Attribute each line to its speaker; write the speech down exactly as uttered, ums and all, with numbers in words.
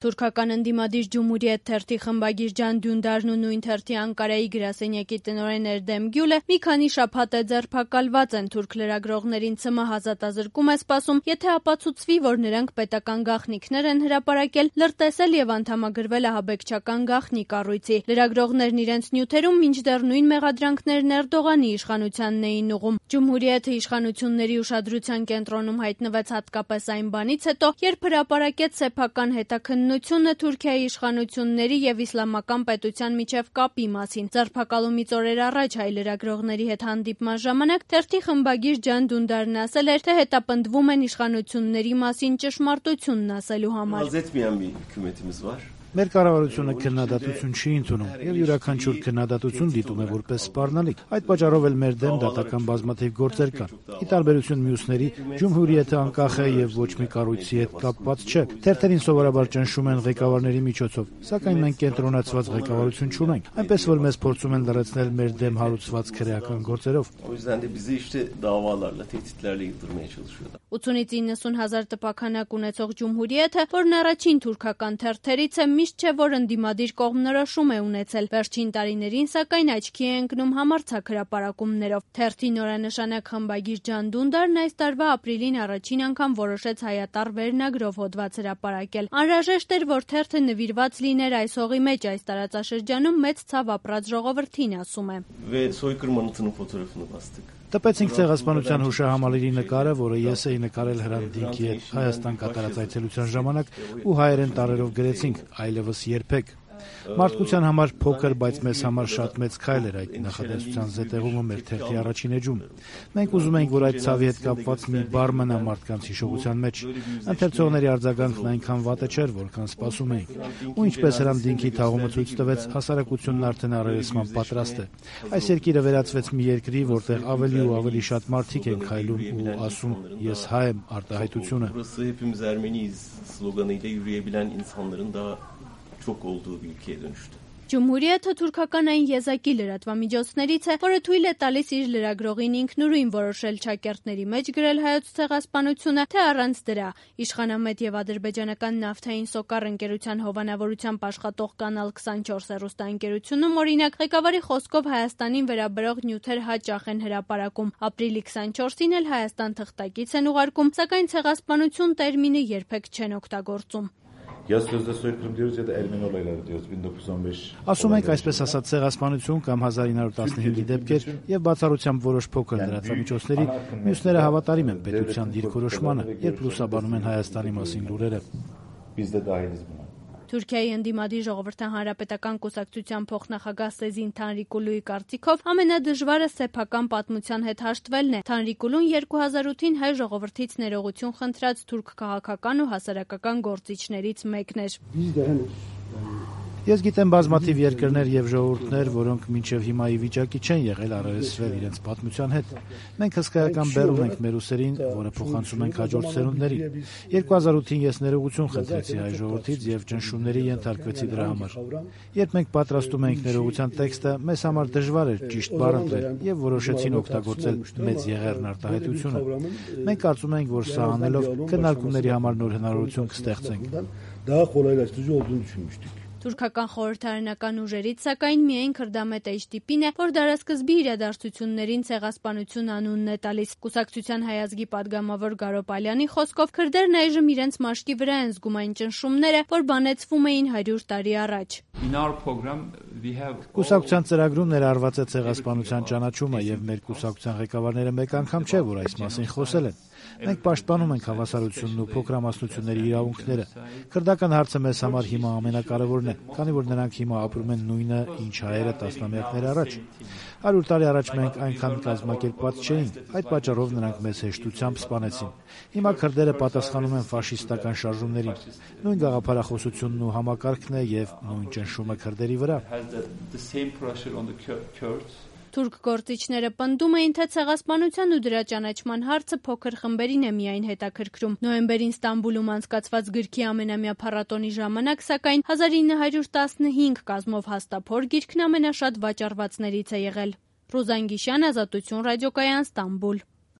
Speaker 1: Թուրքական ընդդիմադիր Cumhuriyet թերթի խմբագիր Can Dündarն ու նույն թերթի Անկարայի գրասենյակի տնօրեն Erdem Gül'ը մի քանի շաբաթ է ձերբակալված են, թուրք լրագրողներին ՑՄՀ ազատազրկում է սպասում, եթե ապացուցվի, որ նրանք պետական գաղտնիքներ են հրապարակել, լրտեսել եւ անդամագրվել ահաբեկչական գաղտնի կառույցի։ Լրագրողներն իրենց նյութերում մինչդեռ նույն մեղադրանքներն Էրդողանի իշխանությանն էին ուղղում։ Cumhuriyet-ը իշխանությունների ուշադրության կենտրոնում հայտնվեց հատկապես այն բանից հետո, երբ հրապարակեց սեփական հետաքննությունը Թուրքիայի իշխանությունների եւ իսլամական պետության միջև կապի մասին։ Ձերբակալումից օրեր առաջ հայ լրագրողների հետ հանդիպման ժամանակ թերթի խմբագիր Can Dündarն ասել էր, թե հետապնդվում են իշխանությունների մասին ճշմարտությունն ասելու համար։
Speaker 2: Մեր կառավարությունը քննադատություն չի ընդունում եւ յուրաքանչյուր քննադատություն դիտում է որպես սպառնալիք։ Այդ պատճառով էլ մեր դեմ դատական բազմաթիվ գործեր կան։ Ի տարբերություն մյուսների, Cumhuriyet-ը անկախ է եւ ոչ մի կառույցի հետ կապված չէ։ Թերթերին սովորաբար ճնշում են ղեկավարների միջոցով, սակայն մենք կենտրոնացված ղեկավարություն չունենք, այնպես որ մեզ փորձում են լրացնել մեր դեմ հարուցված քրեական գործերով։
Speaker 1: ութանից իննսուն հազար տպաքանակ ունեցող Cumhuriyet-ը, որն առաջին թուրքական թերթերից է, միշտ չէ, որ ընդդիմադիր կողմնորոշում է ունեցել։ Վերջին տարիներին, սակայն, աչքի է ընկնում համարձակ հրապարակումներով։ Թերթի նորանշանակ խմբագիր Can Dündarն այս տարվա ապրիլին առաջին անգամ որոշեց հայատառ վերնագրով հոդված հրապարակել։ Անհրաժեշտ էր, որ թերթը նվիրված լիներ այս հողի մեջ, այս տարածաշրջանում մեծ ցավ ապրած ժողովրդին, ասում է։
Speaker 2: Տպեցինք ցեղասպանության հուշահամալիրի նկարը, որը ես էի նկարել Հրանտ Դինքի հետ Հայաստան կատարած այցելության ժամանակ ու հայերեն տառերով գրեցինք այլևս երբեք։ Մարդկության համար փոքր, բայց մեզ համար շատ մեծ քայլ էր այդ նախադասության զետեղումը մեր թերթի առաջին էջում։ Մենք ուզում ենք, որ այդ ցավի հետ կապված մի բառ մնա մարդկանց հիշողության մեջ։ Ընթերցողների արձագանքն այնքան վատը չէր, որքան սպասում էինք։ Ու ինչպես Հրանտ Դինքի թաղումը ցույց տվեց, հասարակությունն արդեն առերեսման պատրաստ է։ Այս երկիրը վերածվեց մի երկրի, որտեղ ավելի ու ավելի շատ մարդիկ են քայլում ու ասում «Ես հայ եմ» արտահայտությունը։
Speaker 1: Cumhuriyet-ը թուրքական այն եզակի լրատվամիջոցներից է, որը թույլ է տալիս իր լրագրողին ինքնուրույն որոշել չակերտների մեջ գրել հայոց ցեղասպանությունը, թե առանց դրա։ Իշխանամետ եւ ադրբեջանական նավթային Սոկար ընկերության հովանավորությամբ աշխատող Կանալ քսանչորս հեռուստաընկերությունում, օրինակ, ղեկավարի խոսքով Հայաստանին վերաբերող նյութեր հաճախ են հրապարակում։ Ապրիլի քսանչորսին էլ Հայաստան թղթակից են ուղարկում, սակայն ցեղասպանություն տերմինը երբեք չեն օգտագործում։
Speaker 2: Ասում ենք այսպես ասած ցեղասպանություն կամ հազար ինը հարյուր տասնհինգի դեպքեր եւ բացառությամբ որոշ փոքր լրատվամիջոցների, մյուսները հավատարիմ են պետության դիրքորոշմանը, երբ լուսաբանում են Հայաստանի մասին լուրերը։
Speaker 1: Թուրքիայի ընդդիմադիր ժողովրդական հանրապետական կուսակցության փոխնախագահ Սեզին Թանրիկուլուի կարծիքով ամենադժվարը սեփական պատմության հետ հաշտվելն է։ Թանրիկուլուն երկու հազար ութին հայ ժողովրդից ներողություն խնդրած թուրք քաղաքական ու հասարակական գործիչներից մեկն էր։
Speaker 2: Ես գիտեմ բազմաթիվ երկրներ եւ ժողովուրդներ, որոնք մինչեւ հիմա ի վիճակի չեն եղել առերեսվել իրենց պատմության հետ։ Մենք հսկայական բեռ ունենք մեր ուսերին, որը փոխանցում ենք հաջորդ սերունդներին։ երկու հազար ութին ես ներողություն խնդրեցի հայ ժողովրդից եւ ճնշումների ենթարկվեցի դրա համար։ Երբ մենք պատրաստում էինք ներողության տեքստը, մեզ համար դժվար էր ճիշտ բառ ընտրել եւ որոշեցին օգտագործել մեծ եղերն արտահայտությունը։ Մենք կարծում ենք, որ սա անելով քննարկումների համար նոր հնարավորություն կստեղծենք։
Speaker 1: Թուրքական խորհրդարանական ուժերից, սակայն, միայն Քրդամետ էյչ դի պին է, որ դարասկզբի իրադարձություններին ցեղասպանություն անունն է տալիս։ Կուսակցության հայ ազգի падգամավոր Գարո Պալյանի խոսքով քրդերն այժմ իրենց մաշկի վրա են զգում այն ճնշումները, որ բանեցվում էին հարյուր տարի առաջ։
Speaker 2: Կուսակցության ծրագրում ներառված է ցեղասպանության ճանաչումը եւ մեր կուսակցության ղեկավարները մեկ անգամ չէ, որ այս մասին խոսել են։ Մենք պաշտպանում ենք հավասարությունն ու փոքրամասնությունների իրավունքները։ Քրդական հարցը մեզ համար հիմա ամենակարևորն է, քանի որ նրանք հիմա ապրում են նույնը, ինչ հայերը տասնամյակներ առաջ։ հարյուր տարի առաջ մենք այնքան կազմակերպված չէինք, այդ պատճառով նրանք մեզ հեշտությամբ սպանեցին։ Հիմա քրդերը պատասխանում են ֆաշիստական շարժումներին։ Նույն գաղափարախոսությունն ու համակարգն է եւ նույն ճնշումը քրդերի վրա։
Speaker 1: Թուրք գործիչները պնդում էին, թե ցեղասպանության ու դրա ճանաչման հարցը փոքր խմբերին է միայն հետաքրքրում։ Նոյեմբերին Ստամբուլում անցկացված գրքի ամենամյա փառատոնի ժամանակ, սակայն հազար ինը հարյուր տասնհինգ կազմով հաստափոր գիրքն ամենաշատ վաճառվածներից է եղել։ Ռուզան Գիշյան, Ազատություն ռադիոկայան, Ստամբուլ։